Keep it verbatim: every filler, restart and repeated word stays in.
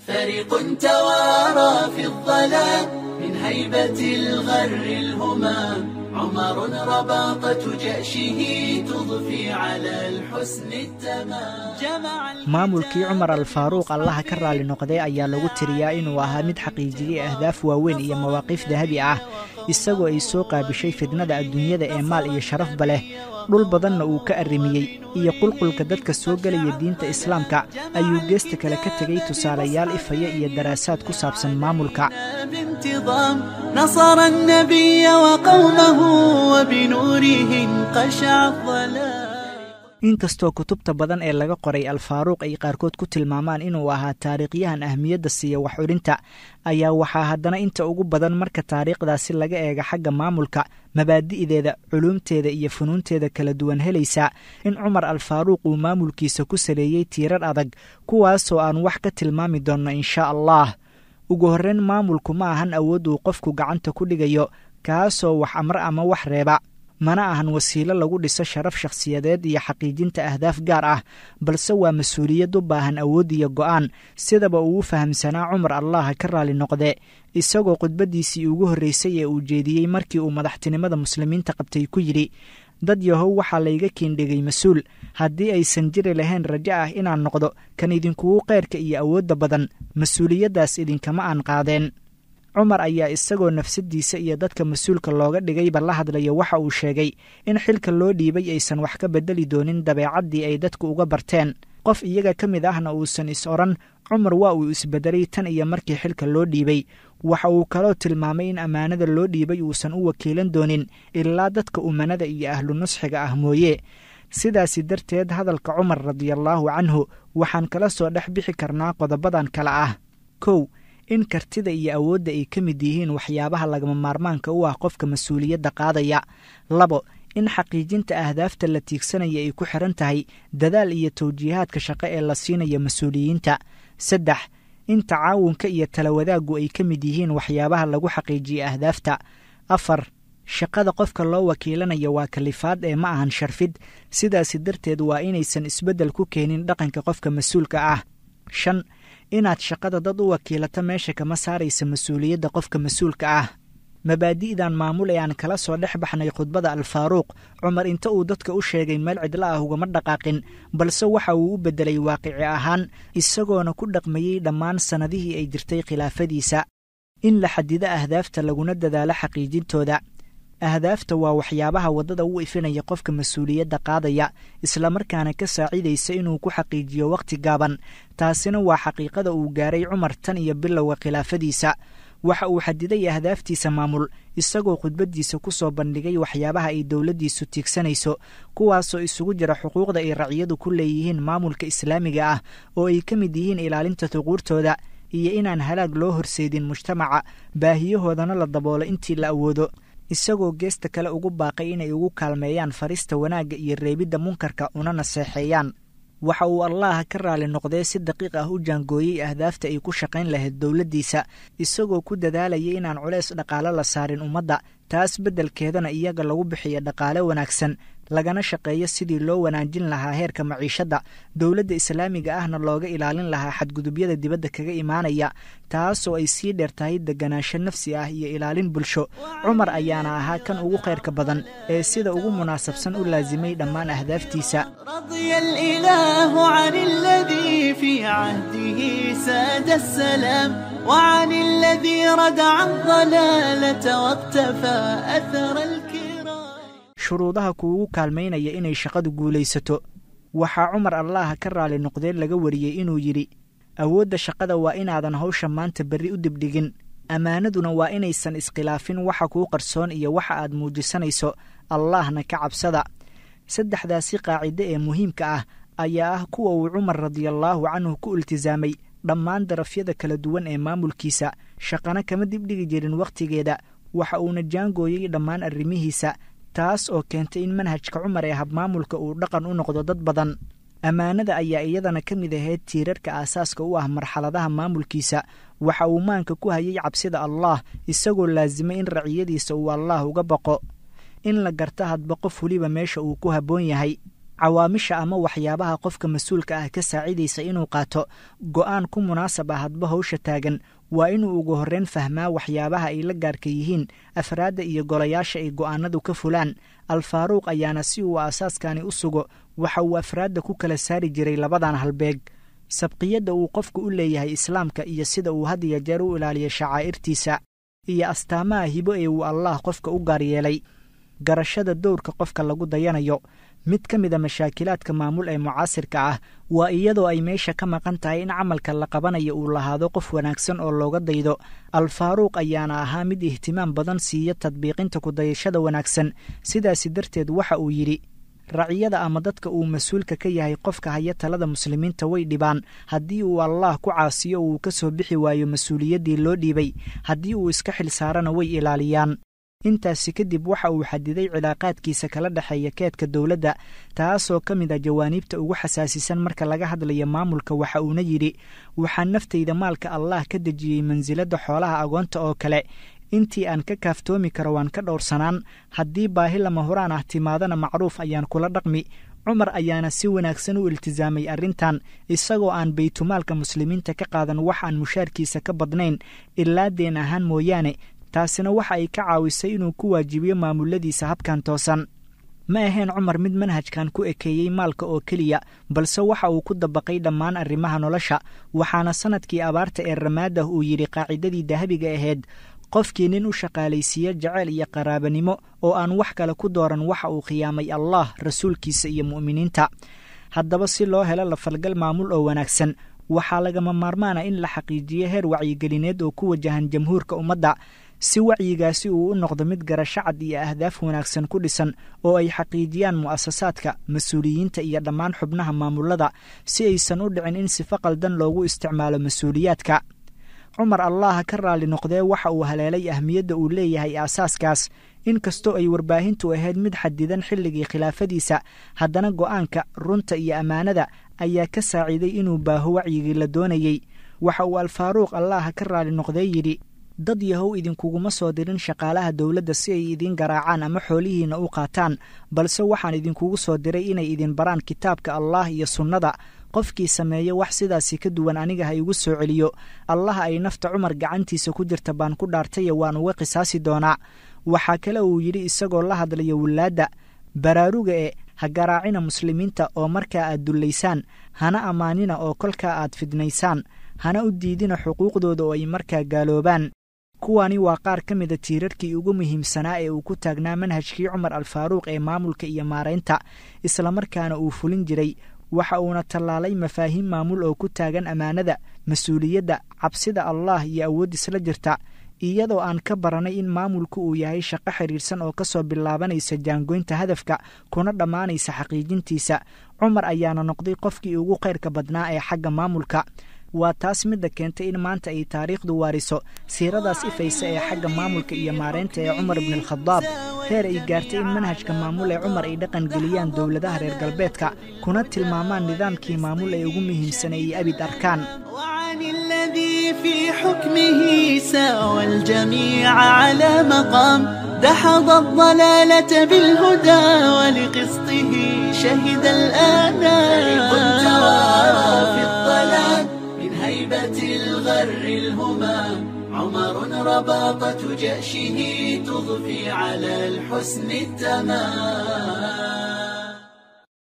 فريق توارى في الظلام من هيبة الغر الهمام، عمر رباطة جأشه تضفي على الحسن التمام. Maamulkii Cumar Alfaaruuq, Allaha ka raali noqday, ayaa lagu tiriyaa inuu ahaa mid xaqiijiyey ahdaaf waaweyn iyo mawaqiif dahabi ah, isagoo ay soo qaabishay fidnada adduunyada ee maal iyo sharafba leh, dhul badanna uu ka arrimiyey, iyo qulqulka dadka soo gelaya diinta Islaamka, ayuu geesta kale ka tegey tusaalayaal ifaya iyo daraasaad ku saabsan maamulka. بانتظام نصر النبي وقومه وبنوره انقشع الظلام. Inkastoo kutubta badan ee laga qoray Alfaaruuq ay qaarkood ku tilmaamaan inuu ahaa taariikhyahan ahmiyadda siiya wax curinta, ayaa waxaa haddana inta ugu badan marka taariikhdaasi laga eega xagga maamulka, mabaadi'deeda, culuumteeda iyo funuunteeda kala duwan helaysa in Cumar Alfaaruuq uu maamulkiisa ku saleeyey tiirar adag, kuwaasoo aan wax ka tilmaami doonno insha Allah. Ugu horreyn, maamulku ma ahan awood uu qofku gacanta ku dhigayo, kaasoo wax amre ama wax reeba, mana ahan wasiilo lagu dhiso sharaf shakhsiyadeed iyo xaqiijinta ahdaaf gaar ah, balse waa mas-uuliyad u baahan awood iyo go'aan, sidaba uu u fahamsanaa Cumar, Allaha ka raali noqde, isagoo khudbaddiisii ugu horreysay ee uu jeediyey markii uu madaxtinimada Muslimiinta qabtay ku yidhi: "Dad yahow, waxaa layga kiindhigay mas-uul. Haddii aysan jiri lahayn rajo ah inaan noqdo kan idinkugu khayrka iyo awoodda badan, mas-uuliyaddaas idinkama aan qaadeen." Cumar ayaa isagoo nafsadiisa iyo dadka mas-uulka looga dhigayba la hadlaya waxa uu sheegay in xilka loo dhiibay aysan wax ka beddeli doonin dabeecaddii ay dadku uga barteen, qof iyaga ka mid ahna uusan is odhan Cumar waa uu isbedelay tan iyo markii xilka loo dhiibay. Waxa uu kaloo tilmaamay in ammaanada loo dhiibay uusan u wakiilan doonin ilaa dadka umanada iyo ahlu nusxiga ah mooye. Sidaasi darteed, hadalka Cumar radiallaahu canhu waxaan kala soo dhex bixi karnaa qodobadan kale ah: kow, in kartida iyo awoodda ay ka mid yihiin waxyaabaha lagama maarmaanka u ah qofka mas-uuliyadda qaadaya; labo, in xaqiijinta ahdaafta la tiigsanaya ay ku xiran tahay dadaal iyo tawjiihaadka shaqo ee la siinayo mas-uuliyiinta; saddex, in tacaawunka iyo tala wadaaggu ay ka mid yihiin waxyaabaha lagu xaqiijiyo ahdaafta; afar, shaqada qofka loo wakiilanayo waa kalifaad ee ma ahan sharfid, sidaasi darteed waa inaysan isbeddel ku keenin dhaqanka qofka mas-uulka ah; shan, inaad shaqada dad u wakiilato meesha kama saaraysa mas-uuliyadda qofka mas-uulka ah. Mabaadi'dan maamul ee aan kala soo dhex baxnay khudbada Alfaaruuq Cumar, inta uu dadka u sheegay meel cidla ah ugama dhaqaaqin, balse waxa uu u beddelay waaqici ahaan, isagoona ku dhaqmayey dhammaan sannadihii ay jirtay khilaafadiisa. In la xadido ahdaafta laguna dadaalo xaqiijintooda. Ahdaafta waa waxyaabaha waddada u ifinaya qofka mas-uuliyadda qaadaya, islamarkaana ka saacidaysa inuu ku xaqiijiyo wakhti gaaban. Taasina waa xaqiiqada uu gaaray Cumar tan iyo bilowga khilaafadiisa. Waxa uu xadiday ahdaaftiisa maamul, isagoo khudbaddiisa ku soo bandhigay waxyaabaha ay dowladdiisu tiigsanayso, kuwaasoo isugu jira xuquuqda ay raciyadu ku leeyihiin maamulka Islaamiga ah, oo ay ka mid yihiin ilaalinta thuquurtooda iyo inaan halaag loo horseedin mujtamaca, baahiyahoodana la daboolo intii la awoodo, isagoo geesta kale ugu baaqay inay ugu kaalmeeyaan farista wanaagga iyo reebidda munkarka, una naseexeeyaan. Waxa uu, Allaha ka raali noqdee, si daqiiq ah u jaangooyey ahdaafta ay ku shaqayn lahayd dowladdiisa, isagoo ku dadaalayay inaan culays dhaqaale la saarin ummadda, taas beddelkeedana iyaga lagu bixiyo dhaqaale wanaagsan, lagana shaqeeyo sidii loo wanaajin lahaa heerka maciishadda, dowladda Islaamiga ahna looga ilaalin lahaa xadgudubyada dibadda kaga imaanaya, taasoo ay sii dheer tahay deganaansho nafsi ah iyo ilaalin bulsho. Cumar ayaana ahaa kan ugu khayrka badan ee sida ugu munaasabsan u laasimay dhammaan ahdaaftiisa. رضي الإله عن الذي في عهده ساد السلام، وعن الذي ردع الضلالة واقتفى أثر الكرام. Shuruudaha kuugu kaalmaynaya inay shaqadu guulaysato. Waxaa Cumar, Allaha ka raali noqdeen, laga wariyey inuu yidhi: "Awoodda shaqada waa inaadan hawsha maanta berri u dibdhigin, ammaanaduna waa inaysan iskhilaafin waxa kuu qarsoon iyo waxa aad muujisanayso, Allahna ka cabsada." Saddexdaasi qaacido ee muhiimka ah ayaa ah kuwa uu Cumar radiallaahu canhu ku iltisaamay dhammaan darafyada kala duwan ee maamulkiisa, shaqana kama dibdhigi jirin wakhtigeeda, waxa uuna jaangooyey dhammaan arrimihiisa, taas oo keentay in manhajka Cumar ee habmaamulka uu dhaqan u noqdo dad badan. Ammaanada ayaa iyadana ka mid ahayd tiirarka aasaaska u ah marxaladaha maamulkiisa. Waxa uu maanka ku hayay cabsida Allah, isagoo laasimay in raciyadiisa uu Allaah uga baqo, in la garta hadba qof weliba meesha uu ku habboon yahay. Cawaamisha ama waxyaabaha qofka mas-uulka ah ka saacidaysa inuu qaato go'aan ku munaasab ah hadba howsha taagan waa inuu ugu horreyn fahmaa waxyaabaha ay la gaarka yihiin afraadda iyo golayaasha ay go'aanadu ka fulaan. Alfaaruuq ayaana si uu aasaaskani u sugo waxa uu afraadda ku kala saari jiray labadan halbeeg: sabqiyadda uu qofku u leeyahay islaamka iyo sida uu had iyo jeer u ilaaliyo shacaa'irtiisa, iyo astaamaha hibo ee uu Allaah qofka u gaar yeelay. Garashada dowrka qofka lagu dayanayo. Mid ka mida mashaakilaadka maamul ee mucaasirka ah waa iyadoo ay meesha ka maqan tahay in camalka la qabanayo uu lahaado qof wanaagsan oo looga daydo. Alfaaruuq ayaana ahaa mid ihtimaam badan siiya tadbiiqinta kudayashada wanaagsan. Sidaasi darteed waxa uu yidhi: raciyada ama dadka uu mas-uulka ka yahay qofka haya talada muslimiinta way dhibaan haddii uu Allaah ku caasiyo uu ka soo bixi waayo mas-uuliyaddii loo dhiibay, haddii uu iska xil saarana way ilaaliyaan. Intaasi kadib waxa uu xadiday cilaaqaadkiisa kala dhexeeya keedka dowladda, taasoo ka mid ah jawaaniibta ugu xasaasisan marka laga hadlayo maamulka. Waxa uuna yidhi: waxaan naftayda maalka Allaah ka dejiyey mansiladda xoolaha agoonta oo kale, intii aan ka kaaftoomi karo waan ka dhowrsanaan, haddii baahi lama huraan ah timaadana macruuf ayaan kula dhaqmi. Cumar ayaana si wanaagsan u iltisaamay arrintan, isagoo aan baytumaalka muslimiinta ka qaadan wax aan mushaarkiisa ka badnayn ilaa deen ahaan mooyaane. Taasina waxa ay ka caawisay inuu ku waajibiyo maamuladiisa habkan toosan. Ma ahayn Cumar mid manhajkan ku ekeeyey maalka oo keliya, balse waxa uu ku dabaqay dhammaan arrimaha nolosha. Waxaana sanadkii abaarta ee Ramaadah uu yidhi qaacidadii dahabiga ahayd: qofkii nin u shaqaalaysiiye jaceyl iyo qaraabanimo oo aan wax kale ku dooran waxa uu khiyaamay Allaah, rasuulkiisa iyo mu'miniinta. Haddaba si loo helo lafalgal maamul oo wanaagsan, waxaa lagama maarmaana in la xaqiijiyo heer wacyigelineed oo ku wajahan jamhuurka ummadda, si wacyigaasi uu u noqdo mid garasho cad iyo ahdaaf wanaagsan ku dhisan oo ay xaqiijiyaan mu'asasaadka, mas-uuliyiinta iyo dhammaan xubnaha maamulada, si aysan u dhicin in sifo qaldan loogu isticmaalo mas-uuliyaadka. Cumar Allaha ka raalli noqdee waxa uu haleelay ahmiyadda uu leeyahay aasaaskaas. Inkastoo ay warbaahintu ahayd mid xadidan xilligii khilaafadiisa, haddana go'aanka runta iyo ammaanada ayaa ka saaciiday inuu baaho wacyigii la doonayey. Waxa uu Alfaaruuq Allaha ka raalli noqdee yidhi: dad yahow, idinkuguma soo dirin shaqaalaha dowladda si ay idiin garaacaan ama xoolihiinna u qaataan, balse waxaan idinkugu soo diray inay idin baraan kitaabka Allaah iyo sunnada. Qofkii sameeya wax sidaasi ka duwan aniga ha igu soo celiyo. Allaha ay nafta Cumar gacantiisa ku jirta baan ku dhaartaye waan uga qisaasi doonaa. Waxaa kale uu yidhi isagoo la hadlaya wilaadda: baraaruga e ha garaacina muslimiinta oo markaa aad dullaysaan, hana ammaanina oo kolkaa aad fidnaysaan, hana u diidina xuquuqdooda oo ay markaa gaaloobaan. Kuwani waa qaar ka mida tiirarkii ugu muhiimsanaa ee uu ku taagnaa manhajkii Cumar Alfaaruuq ee maamulka iyo maaraynta, islamarkaana uu fulin jiray. Waxa uuna tallaalay mafaahiim maamul oo ku taagan ammaanada, mas-uuliyadda, cabsida Allaah iyo awood isla jirta, iyadoo aan ka baranay in maamulku uu yahay shaqo xidhiidhsan oo kasoo bilaabanaysa jaangoynta hadafka kuna dhammaanaysa xaqiijintiisa. Cumar ayaana noqday qofkii ugu khayrka badnaa ee xagga maamulka. Waa taas midda keentay in maanta ay taariikhdu waariso siiradaas ifaysa ee xagga maamulka iyo maareynta ee Cumar ibn Alkhadaab, heer ay gaartay in manhajka maamul ee Cumar ay dhaqan geliyaan dowladaha reer galbeedka, kuna tilmaamaan nidaamkii maamul ee ugu muhiimsanay ay abid arkaan. وعن الذي في حكمه ساوى الجميع على مقام، دحض الضلالة بالهدى ولقسطه شهد الآنام. توارى في الظلام من هيبة الغر الهمام، عمر رباطة جأشه تضفي على الحسن التمام.